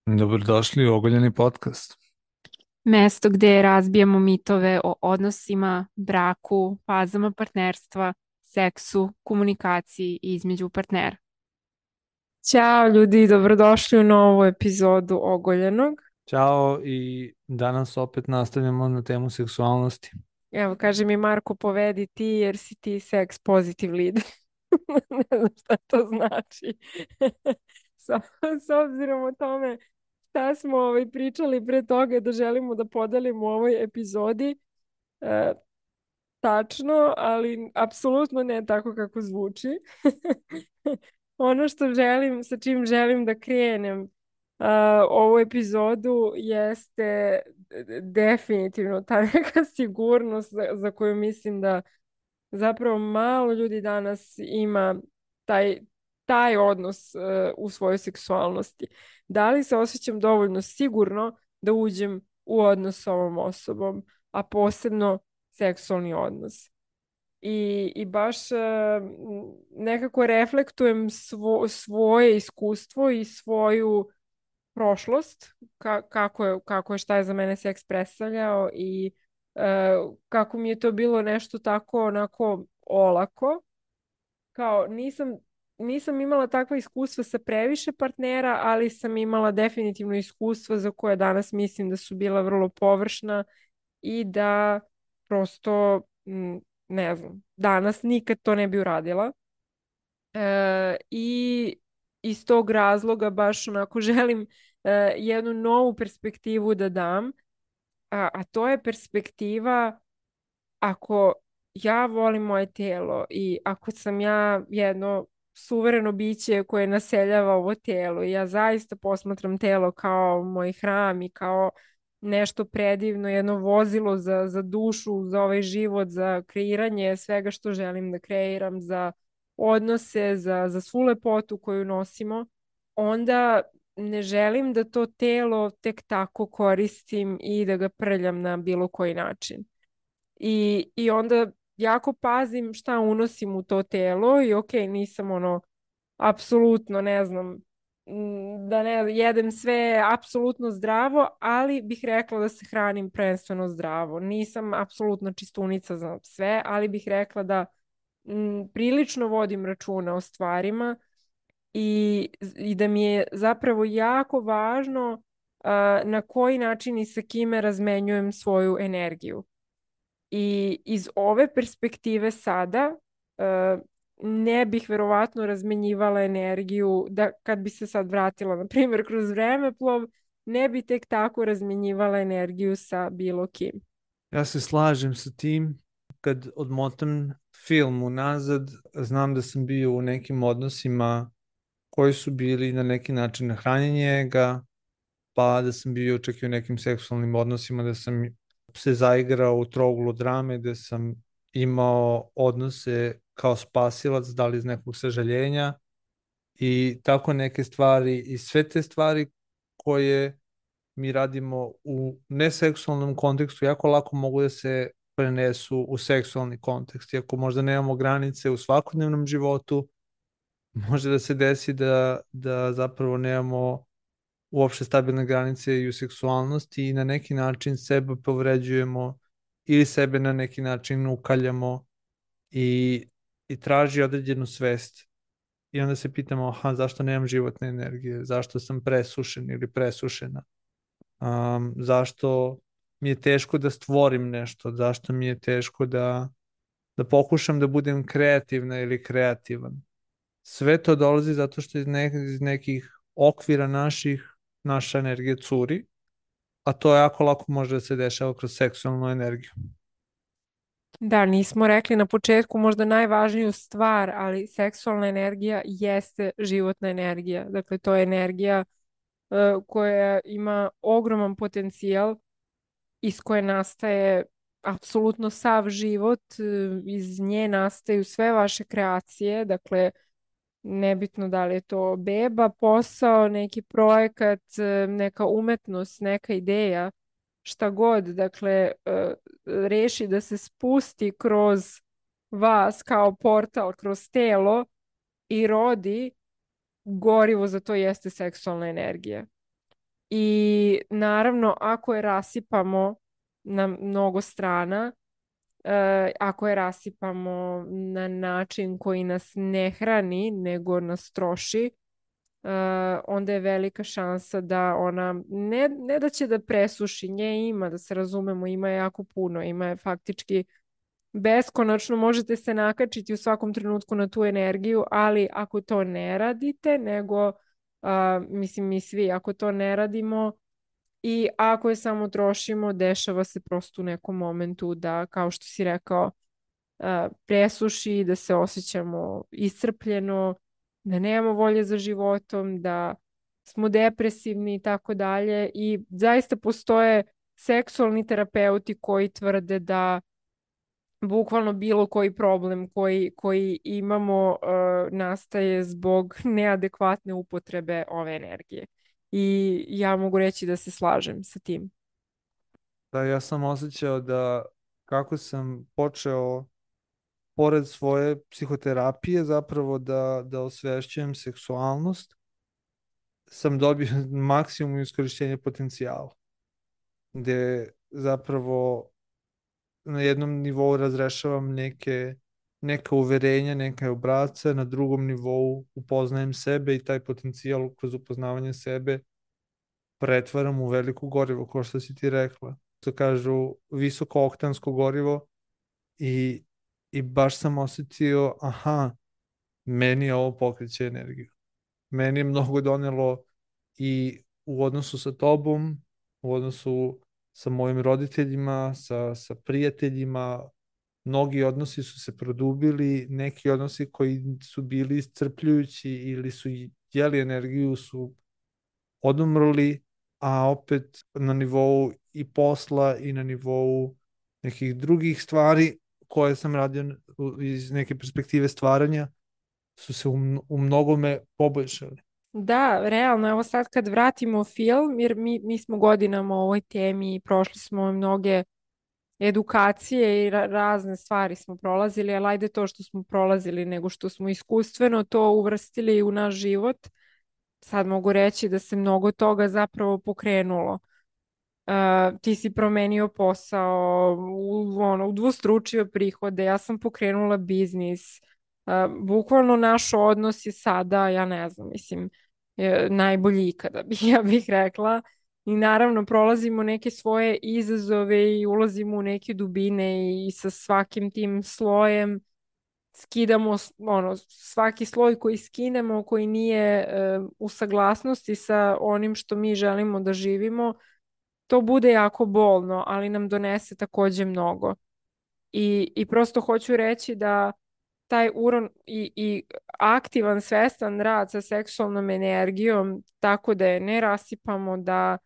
Dobrodošli u Ogoljeni podcast. Mesto gde razbijamo mitove o odnosima, braku, fazama partnerstva, seksu, komunikaciji između partnera. Ćao ljudi, dobrodošli u novu epizodu Ogoljenog. Ćao i danas opet nastavljamo na temu seksualnosti. Evo, kaže mi Marko, povedi ti jer si ti seks pozitiv lead. Ne znam šta to znači. S, s obzirom o tome šta smo pričali pre toga da želimo da podelimo u ovoj epizodi, e, tačno, ali apsolutno ne tako kako zvuči. Ono što želim, sa čim želim da krenem ovu epizodu jeste definitivno ta neka sigurnost za koju mislim da zapravo malo ljudi danas ima taj, taj odnos u svojoj seksualnosti. Da li se osjećam dovoljno sigurno da uđem u odnos s ovom osobom, a posebno seksualni odnos. I baš nekako reflektujem svoje iskustvo i svoju prošlost, kako je, šta je za mene seks predstavljao i kako mi je to bilo nešto tako onako olako. Kao nisam imala takva iskustva sa previše partnera, ali sam imala definitivno iskustva za koje danas mislim da su bila vrlo površna i da prosto, ne znam, danas nikad to ne bi uradila. I iz tog razloga baš onako želim jednu novu perspektivu da dam, a to je perspektiva ako ja volim moje telo i ako sam ja jedno suvereno biće koje naseljava ovo telo i ja zaista posmatram telo kao moj hram i kao nešto predivno, jedno vozilo za dušu, za ovaj život, za kreiranje svega što želim da kreiram, za odnose, za svu lepotu koju nosimo, onda ne želim da to telo tek tako koristim i da ga prljam na bilo koji način. I onda jako pazim šta unosim u to telo i ok, nisam ono, apsolutno ne znam, da ne jedem sve apsolutno zdravo, ali bih rekla da se hranim prvenstveno zdravo. Nisam apsolutno čistunica za sve, ali bih rekla da prilično vodim računa o stvarima i da mi je zapravo jako važno na koji način i sa kime razmenjujem svoju energiju. I iz ove perspektive sada ne bih verovatno razmenjivala energiju da kad bi se sad vratila, na primjer, kroz vremeplov, ne bi tek tako razmenjivala energiju sa bilo kim. Ja se slažem sa tim. Kad odmotam film unazad, znam da sam bio u nekim odnosima koji su bili na neki način hranjenje ga, pa da sam bio čak i u nekim seksualnim odnosima, da sam se zaigrao u trouglu drame, da sam imao odnose kao spasilac, da li iz nekog sažaljenja i tako neke stvari i sve te stvari koje mi radimo u neseksualnom kontekstu jako lako mogu da se prenesu u seksualni kontekst. Iako možda nemamo granice u svakodnevnom životu, može da se desi da zapravo nemamo uopšte stabilne granice i u seksualnosti i na neki način sebe povređujemo ili sebe na neki način ukaljamo i, i traži određenu svest. I onda se pitamo, aha, zašto nemam životne energije, zašto sam presušen ili presušena, zašto mi je teško da stvorim nešto, zašto mi je teško da pokušam da budem kreativna ili kreativan. Sve to dolazi zato što iz nekih okvira naša energija curi, a to jako lako može da se dešava kroz seksualnu energiju. Da, nismo rekli na početku možda najvažniju stvar, ali seksualna energija jeste životna energija. Dakle, to je energija koja ima ogroman potencijal iz koje nastaje apsolutno sav život, iz nje nastaju sve vaše kreacije, dakle, nebitno da li je to beba, posao, neki projekat, neka umetnost, neka ideja, šta god, dakle, reši da se spusti kroz vas kao portal, kroz telo i rodi, gorivo za to jeste seksualna energija. I naravno, ako je rasipamo na mnogo strana, ako je rasipamo na način koji nas ne hrani, nego nas troši, onda je velika šansa da ona, ne da će da presuši, nje ima, da se razumemo, ima je jako puno, ima je faktički beskonačno, možete se nakačiti u svakom trenutku na tu energiju, ali ako to ne radite, nego, mislim mi svi, ako to ne radimo, i ako je samo trošimo, dešava se prosto u nekom momentu da, kao što si rekao, presuši, da se osjećamo iscrpljeno, da nemamo volje za životom, da smo depresivni i tako dalje. I zaista postoje seksualni terapeuti koji tvrde da bukvalno bilo koji problem koji imamo nastaje zbog neadekvatne upotrebe ove energije. I ja mogu reći da se slažem sa tim. Da, ja sam osjećao da kako sam počeo pored svoje psihoterapije zapravo da osvešćujem seksualnost, sam dobio maksimum iskorišćenja potencijala, gde zapravo na jednom nivou razrešavam neka uverenja, neke obrasce, na drugom nivou upoznajem sebe i taj potencijal kroz upoznavanje sebe pretvaram u veliko gorivo, kao što si ti rekla. To kažu visoko oktansko gorivo i, i baš sam osetio, aha, meni ovo pokreće energiju. Meni je mnogo donelo i u odnosu sa tobom, u odnosu sa mojim roditeljima, sa prijateljima, mnogi odnosi su se produbili, neki odnosi koji su bili iscrpljujući ili su jeli energiju su odumrli, a opet na nivou i posla i na nivou nekih drugih stvari koje sam radio iz neke perspektive stvaranja su se u mnogome poboljšali. Da, realno, evo sad kad vratimo film, jer mi smo godinama u ovoj temi i prošli smo mnoge edukacije i razne stvari smo prolazili, ali ajde to što smo prolazili, nego što smo iskustveno to uvrstili u naš život. Sad mogu reći da se mnogo toga zapravo pokrenulo. Ti si promenio posao, udvostručio prihode, ja sam pokrenula biznis. Bukvalno naš odnos je sada, ja ne znam, mislim, najbolji ikada, ja bih rekla. I naravno prolazimo neke svoje izazove i ulazimo u neke dubine i sa svakim tim slojem skidamo, svaki sloj koji skinemo, koji nije u saglasnosti sa onim što mi želimo da živimo, to bude jako bolno, ali nam donese takođe mnogo. I prosto hoću reći da taj uron i aktivan, svestan rad sa seksualnom energijom, tako da je ne rasipamo, da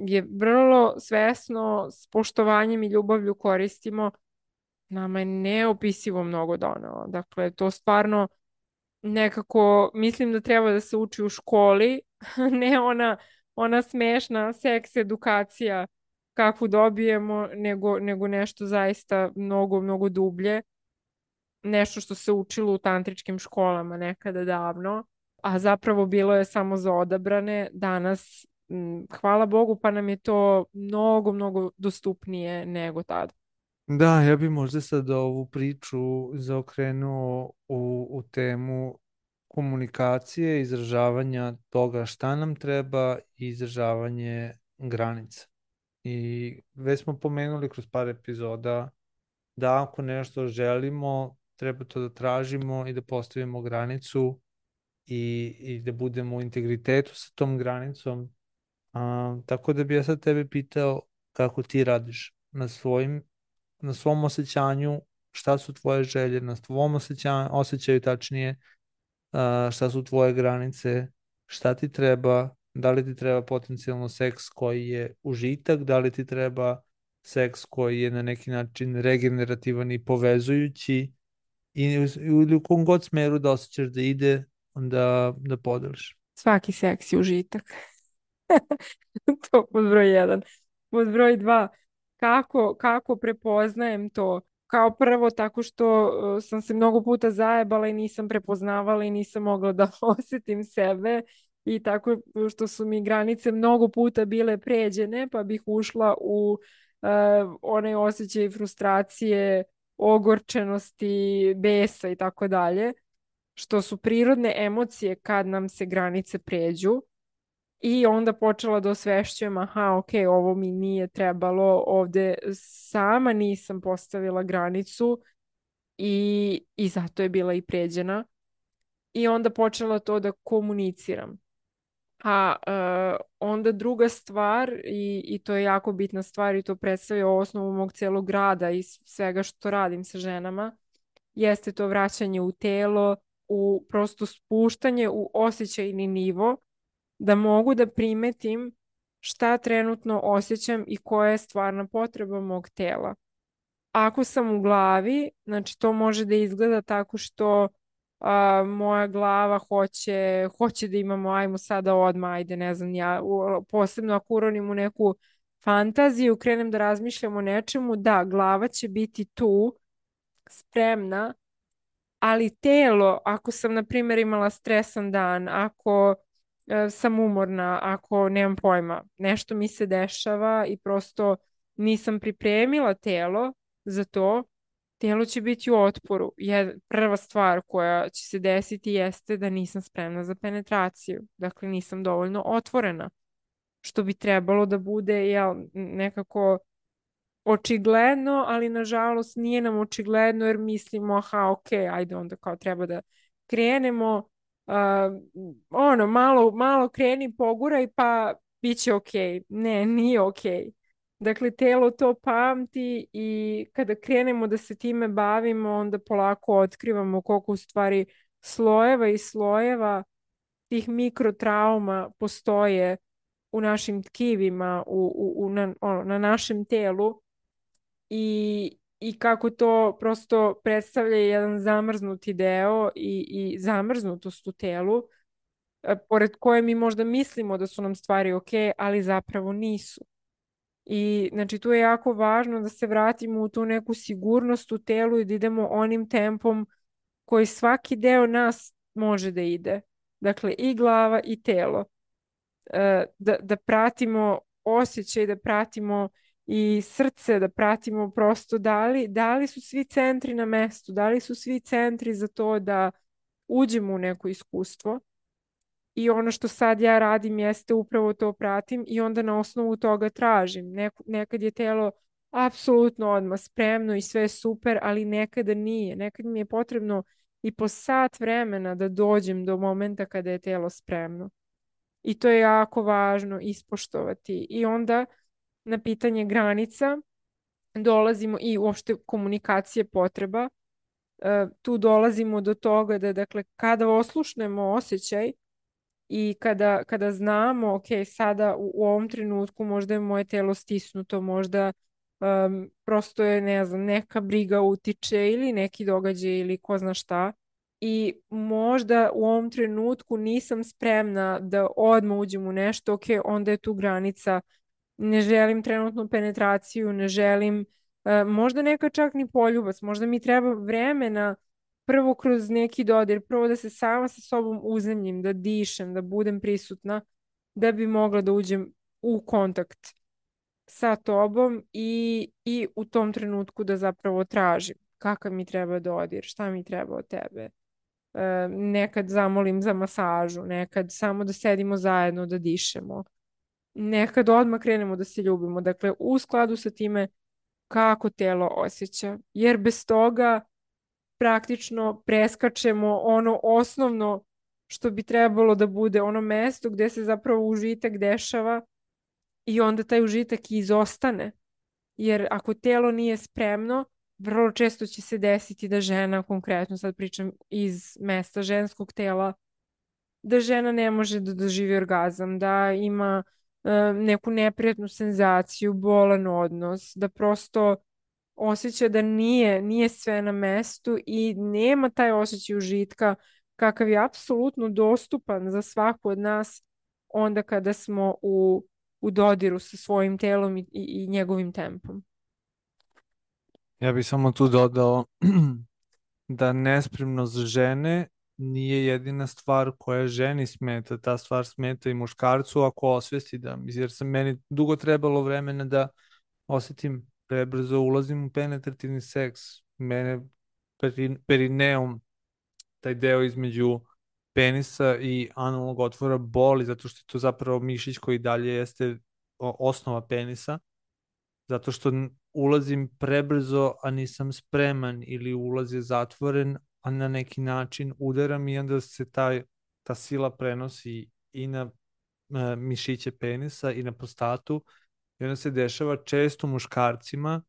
je vrlo svesno, s poštovanjem i ljubavlju koristimo, nama je neopisivo mnogo donelo. Dakle, to stvarno nekako mislim da treba da se uči u školi, ne ona smešna seks edukacija kakvu dobijemo, nego nešto zaista mnogo, mnogo dublje. Nešto što se učilo u tantričkim školama nekada davno, a zapravo bilo je samo za odabrane. Danas, hvala Bogu, pa nam je to mnogo, mnogo dostupnije nego tada. Da, ja bih možda sad ovu priču zaokrenuo u temu komunikacije, izražavanja toga šta nam treba i izražavanje granica. I već smo pomenuli kroz par epizoda da ako nešto želimo, treba to da tražimo i da postavimo granicu i da budemo u integritetu sa tom granicom. Tako da bi ja sad tebe pitao kako ti radiš na svom osjećanju, šta su tvoje želje, na tvom osjećaju tačnije, šta su tvoje granice, šta ti treba, da li ti treba potencijalno seks koji je užitak, da li ti treba seks koji je na neki način regenerativan i povezujući ili u kom god smeru da osjećaš da ide, da podeliš. Svaki seks je užitak. To pod broj 1. Pod broj 2, kako prepoznajem to? Kao prvo tako što sam se mnogo puta zajebala i nisam prepoznavala i nisam mogla da osjetim sebe i tako što su mi granice mnogo puta bile pređene, pa bih ušla u onaj osjećaj frustracije, ogorčenosti, besa i tako dalje, što su prirodne emocije kad nam se granice pređu. I onda počela da osvešćujem, aha, ok, ovo mi nije trebalo, ovde sama nisam postavila granicu i zato je bila i pređena. I onda počela to da komuniciram. A onda druga stvar, i to je jako bitna stvar i to predstavlja osnovu mog celog rada i svega što radim sa ženama, jeste to vraćanje u telo, u prosto spuštanje u osjećajni nivo, da mogu da primetim šta trenutno osjećam i koja je stvarna potreba mog tela. Ako sam u glavi, znači to može da izgleda tako što moja glava hoće da imamo, ajmo sada odmah, ajde, ne znam, ja posebno ako uronim u neku fantaziju, krenem da razmišljam o nečemu, da, glava će biti tu, spremna, ali telo, ako sam, na primjer, imala stresan dan, ako sam umorna, ako nemam pojma, nešto mi se dešava i prosto nisam pripremila telo za to, telo će biti u otporu. Prva stvar koja će se desiti jeste da nisam spremna za penetraciju. Dakle, nisam dovoljno otvorena, što bi trebalo da bude nekako očigledno, ali nažalost nije nam očigledno jer mislimo, aha, ok, ajde onda kao treba da krenemo, malo kreni, poguraj pa bit će ok. Ne, nije ok. Dakle, telo to pamti i kada krenemo da se time bavimo, onda polako otkrivamo koliko u stvari slojeva i slojeva tih mikrotrauma postoje u našim tkivima, na našem telu i kako to prosto predstavlja jedan zamrznuti deo i zamrznutost u telu, pored koje mi možda mislimo da su nam stvari ok, ali zapravo nisu. I znači tu je jako važno da se vratimo u tu neku sigurnost u telu i da idemo onim tempom koji svaki deo nas može da ide. Dakle, i glava i telo. Da pratimo osjećaj, da pratimo i srce, da pratimo prosto da li su svi centri na mestu, da li su svi centri za to da uđemo u neko iskustvo. I ono što sad ja radim jeste upravo to pratim i onda na osnovu toga tražim. Nekad je telo apsolutno odmah spremno i sve je super, ali nekada nije. Nekad mi je potrebno i po sat vremena da dođem do momenta kada je telo spremno. I to je jako važno ispoštovati. I onda na pitanje granica dolazimo i uopšte komunikacije potreba. Tu dolazimo do toga da, dakle, kada oslušnemo osjećaj i kada znamo, ok, sada u ovom trenutku možda je moje telo stisnuto, možda prosto je, ne znam, neka briga utiče ili neki događaj ili ko zna šta, i možda u ovom trenutku nisam spremna da odmah uđem u nešto, ok, onda je tu granica, ne želim trenutnu penetraciju, ne želim, možda neka čak ni poljubac, možda mi treba vremena prvo kroz neki dodir, prvo da se sama sa sobom uzemljim, da dišem, da budem prisutna, da bi mogla da uđem u kontakt sa tobom i u tom trenutku da zapravo tražim kakav mi treba dodir, šta mi treba od tebe. Nekad zamolim za masažu, nekad samo da sedimo zajedno, da dišemo. Nekad odmah krenemo da se ljubimo. Dakle, u skladu sa time kako telo osjeća. Jer bez toga praktično preskačemo ono osnovno što bi trebalo da bude ono mesto gde se zapravo užitak dešava i onda taj užitak izostane. Jer ako telo nije spremno, vrlo često će se desiti da žena, konkretno sad pričam iz mesta ženskog tela, da žena ne može da doživi orgazam, da ima neku neprijatnu senzaciju, bolan odnos, da prosto osjeća da nije sve na mestu i nema taj osjećaj užitka kakav je apsolutno dostupan za svaku od nas onda kada smo u dodiru sa svojim telom i njegovim tempom. Ja bih samo tu dodao da nespremnost žene nije jedina stvar koja ženi smeta, ta stvar smeta i muškarcu ako osvesti da, jer sam meni dugo trebalo vremena da osetim prebrzo ulazim u penetrativni seks. Mene perineum, taj deo između penisa i analnog otvora boli, zato što je to zapravo mišić koji dalje jeste osnova penisa, zato što ulazim prebrzo, a nisam spreman, ili ulaz je zatvoren, a na neki način udaram i onda se ta sila prenosi i na mišiće penisa i na prostatu i onda se dešava često muškarcima,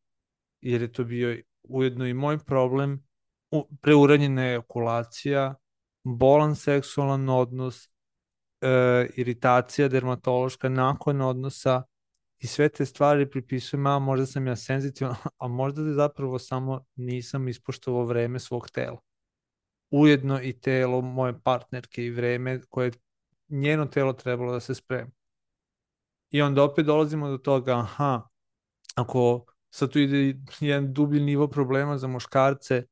jer je to bio ujedno i moj problem, preuranjena ejakulacija, bolan seksualan odnos, iritacija dermatološka nakon odnosa i sve te stvari pripisujem, a možda sam ja senzitivan, a možda da zapravo samo nisam ispoštovao vreme svog tela. Ujedno i telo moje partnerke i vreme koje je njeno telo trebalo da se spremi. I onda opet dolazimo do toga, aha, ako sad tu ide jedan dublji nivo problema za muškarce,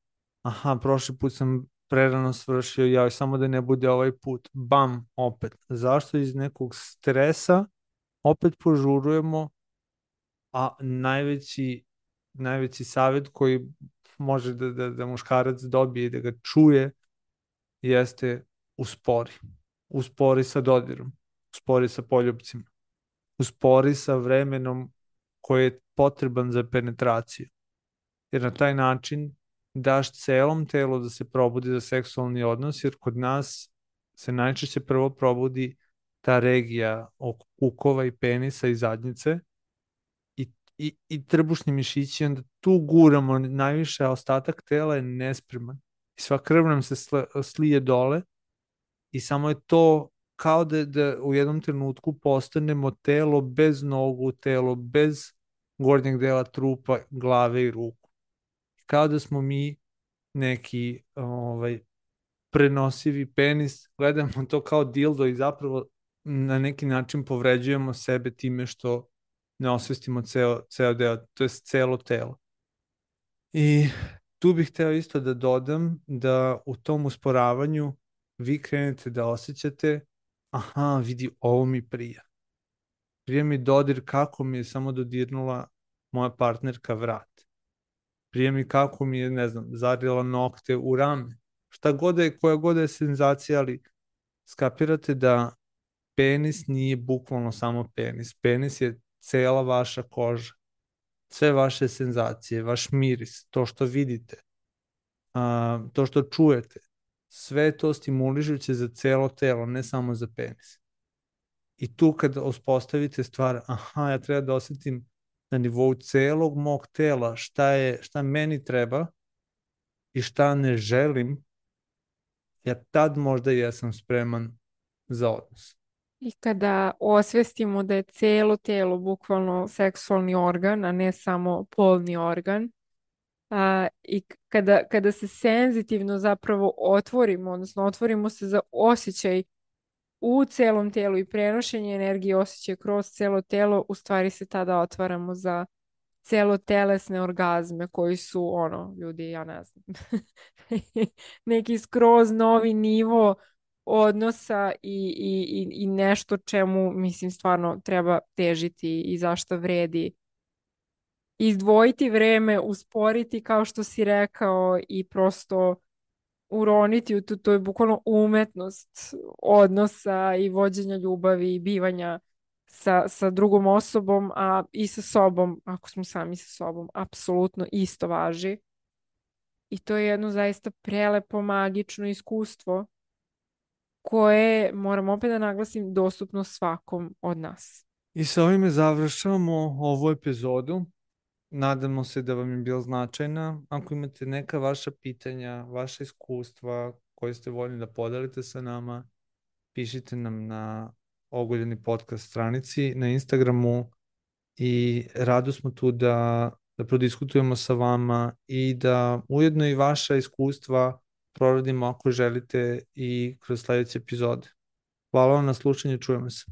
aha, prošli put sam prerano svršio, ja samo da ne bude ovaj put, bam, opet. Zašto iz nekog stresa opet požurujemo, a najveći savjet koji može da muškarac dobije i da ga čuje jeste uspori. Uspori sa dodirom, uspori sa poljupcima, uspori sa vremenom koji je potreban za penetraciju. Jer na taj način daš celom telu da se probudi za seksualni odnos, jer kod nas se najčešće prvo probudi ta regija oko kukova i penisa i zadnjice i trbušni mišići, onda tu guramo najviše, a ostatak tela je nespreman. I sva krv nam se slije dole i samo je to kao da u jednom trenutku postanemo telo bez nogu, telo bez gornjeg dela trupa, glave i ruku. Kao da smo mi neki prenosivi penis, gledamo to kao dildo i zapravo na neki način povređujemo sebe time što ne osvestimo ceo deo, to je celo telo. I tu bih hteo isto da dodam da u tom usporavanju vi krenete da osjećate, aha, vidi, ovo mi prija. Prija mi dodir kako mi je samo dodirnula moja partnerka vrat. Prija mi kako mi je, ne znam, zarila nokte u rame. Šta god je, koja god je senzacija, ali skapirate da penis nije bukvalno samo penis. Penis je cela vaša koža, sve vaše senzacije, vaš miris, to što vidite, to što čujete, sve to stimulišuće za celo telo, ne samo za penis. I tu kad uspostavite stvar, aha, ja treba da osetim na nivou celog mog tela šta meni treba i šta ne želim, ja tad možda jesam spreman za odnos. I kada osvestimo da je celo telo bukvalno seksualni organ, a ne samo polni organ, i kada se senzitivno zapravo otvorimo, odnosno otvorimo se za osjećaj u celom telu i prenošenje energije osjećaja kroz celo telo, u stvari se tada otvaramo za celotelesne orgazme koji su, ljudi, ja ne znam, neki skroz novi nivo odnosa i nešto čemu, mislim, stvarno treba težiti i zašto vredi izdvojiti vreme, usporiti, kao što si rekao, i prosto uroniti u to je bukvalno umetnost odnosa i vođenja ljubavi i bivanja sa drugom osobom, a i sa sobom, ako smo sami sa sobom, apsolutno isto važi. I to je jedno zaista prelepo, magično iskustvo koje, moram opet da naglasim, dostupno svakom od nas. I sa ovime završavamo ovu epizodu. Nadamo se da vam je bila značajna. Ako imate neka vaša pitanja, vaša iskustva koje ste voljni da podelite sa nama, pišite nam na Ogoljeni podcast stranici na Instagramu i rado smo tu da prodiskutujemo sa vama i da ujedno i vaša iskustva proradimo ako želite i kroz sledeće epizode. Hvala vam na slušanju, čujemo se.